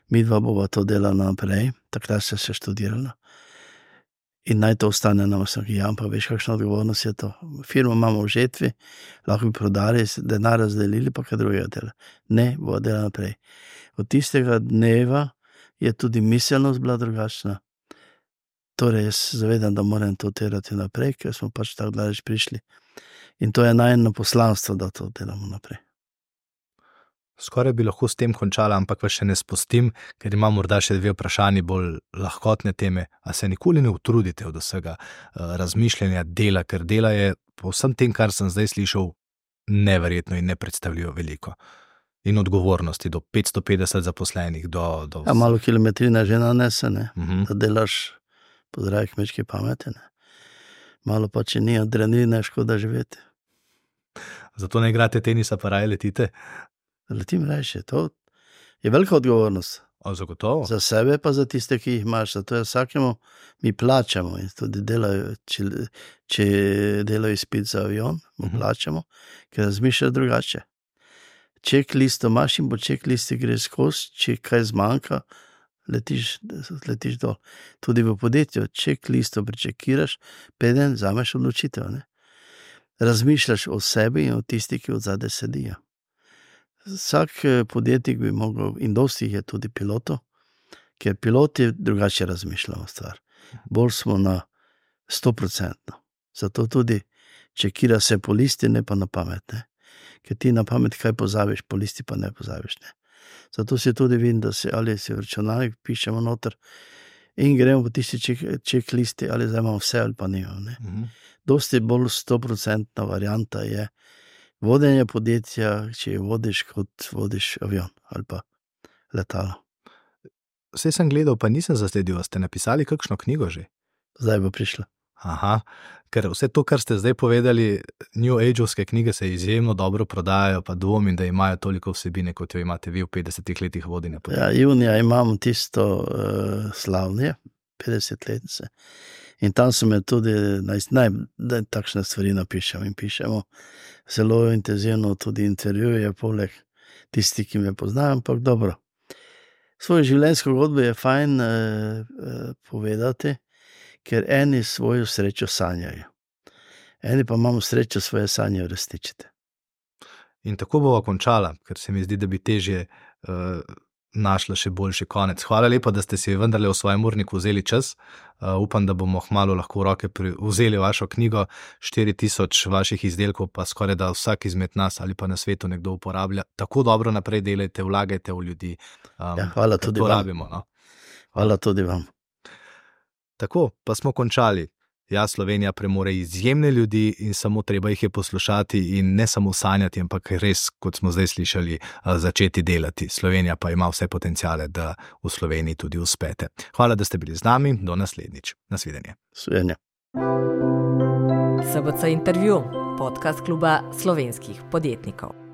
Mi dva bova to delala naprej, takrat se študirala. In naj to ostane nam, pa veš, kakšna odgovornost je to. Firmo imamo v žetvi, lahko bi prodali, denar razdelili, pa kaj drugega dela. Ne, bo dela naprej. Od tistega dneva je tudi miselnost bila drugačna. Torej, jaz zavedam, da moram to delati naprej, ker smo pač tako daleč prišli. In to je najeno poslanstvo, da to delamo naprej. Skoraj bi lahko s tem končala, ampak vas še ne spustim, ker imam morda še 2 vprašanji bolj lahkotne teme. A se nikoli ne utrudite od vsega razmišljanja dela, ker dela je po vsem tem, kar sem zdaj slišal, neverjetno in nepredstavljivo veliko. In odgovornosti do 550 zaposlenih. Malo kilometrina že nanese, ne? Da delaš po zdravi kmečki pameti. Ne? Malo pa, če ni adrenalina, škoda živeti. Zato ne igrate tenisa, pa raje letite? Letim reči, to je velika odgovornost. Zagotovo. Za sebe pa za tiste, ki jih imaš. Zato je vsakemu mi plačamo in tudi delajo, če delajo izpit za avion, mu plačamo, ker razmišljajo drugače. Checklisto imaš in po checklisti greš skozi, če kaj zmanjka, letiš dol. Tudi v podjetju checklisto prečekiraš, preden vzameš odločitev. Ne? Razmišljaš o sebi in o tisti, ki od zadaj sedijo. Vsak podjetnik bi mogel, in dosti je tudi pilotov, ker piloti drugače razmišljamo stvar. Bolj smo na 100%. Zato tudi čekira se po listi, ne pa na pamet. Ne? Ker ti na pamet kaj pozabiš, po listi pa ne pozabiš. Ne? Zato si tudi vidim, da ali si v računalnik pišemo noter in gremo po tisti checklisti, ali zdaj imamo vse ali pa nimamo. Ne? Dosti bolj 100% varianta je vodenje podjetja, če jo vodiš, kot vodiš avion ali pa letalo. Vse sem gledal, pa nisem zasledil, ste napisali kakšno knjigo že? Zdaj bo prišla. Aha, ker vse to, kar ste zdaj povedali, New Age-ovske knjige se izjemno dobro prodajajo, pa dvomim, da imajo toliko vsebine, kot jo imate vi v 50 letih vodenja podjetja. Ja, junija imam tisto slavnje, 50-letnice. In tam so me tudi, da takšne stvari napišem in pišemo zelo intenzivno tudi intervjuje, poleg tisti, ki me poznajo, ampak dobro. Svojo življenjsko zgodbo je fajn povedati, ker eni svojo srečo sanjajo. Eni pa imamo srečo svoje sanje uresničiti. In tako bova končala, ker se mi zdi, da bi težje našla še boljši konec. Hvala lepa, da ste si vendarle v svojem urniku vzeli čas. Upam, da bomo kmalu lahko v roke vzeli vašo knjigo. 4000 vaših izdelkov pa skoraj da vsak izmed nas ali pa na svetu nekdo uporablja. Tako dobro naprej delajte, vlagajte v ljudi. Hvala tudi vam. Rabimo, no? Hvala tudi vam. Tako, pa smo končali. Ja, Slovenija premore izjemne ljudi in samo treba jih je poslušati in ne samo sanjati, ampak res, kot smo zdaj slišali, začeti delati. Slovenija pa ima vse potenciale, da v Sloveniji tudi uspete. Hvala, da ste bili z nami. Do naslednjič. Nasvidenje. Nasvidenje. SBC intervju, podcast kluba slovenskih podjetnikov.